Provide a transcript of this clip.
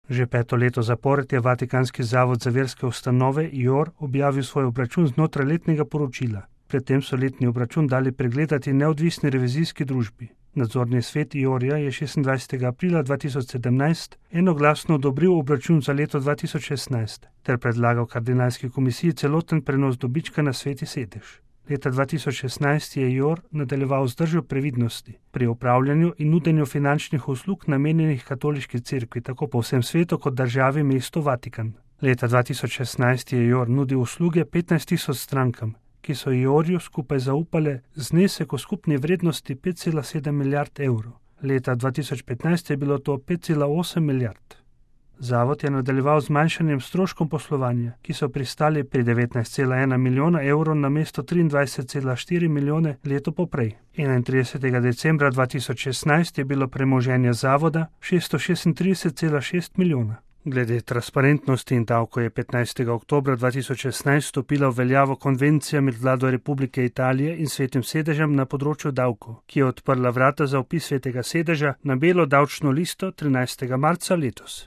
Že 5. leto zapored je Vatikanski zavod za verske ustanove IOR objavil svoj obračun znotraj letnega poročila. Predtem so letni obračun dali pregledati neodvisni revizijski družbi. Nadzorni svet IOR-ja je 26. aprila 2017 enoglasno odobril obračun za leto 2016 ter predlagal kardinalski komisiji celoten prenos dobička na Sveti sedež. Leta 2016 je IOR nadaljeval z držo previdnosti pri upravljanju in nudenju finančnih uslug namenjenih katoliški cerkvi tako po vsem svetu kot državi mestu Vatikan. Leta 2016 je IOR nudil usluge 15.000 strankam, ki so IOR-ju skupaj zaupale znesek v skupni vrednosti 5,7 milijard evrov. Leta 2015 je bilo to 5,8 milijard. Zavod je nadaljeval z manjšanjem stroškom poslovanja, ki so pristali pri 19,1 milijona evrov namesto 23,4 milijone leto poprej. 31. decembra 2016 je bilo premoženje zavoda 636,6 milijona. Glede transparentnosti in davko je 15. oktobra 2016 stopila v veljavo konvencija med vlado Republike Italije in Svetim sedežem na področju davkov, ki je odprla vrata za vpis Svetega sedeža na belo davčno listo 13. marca letos.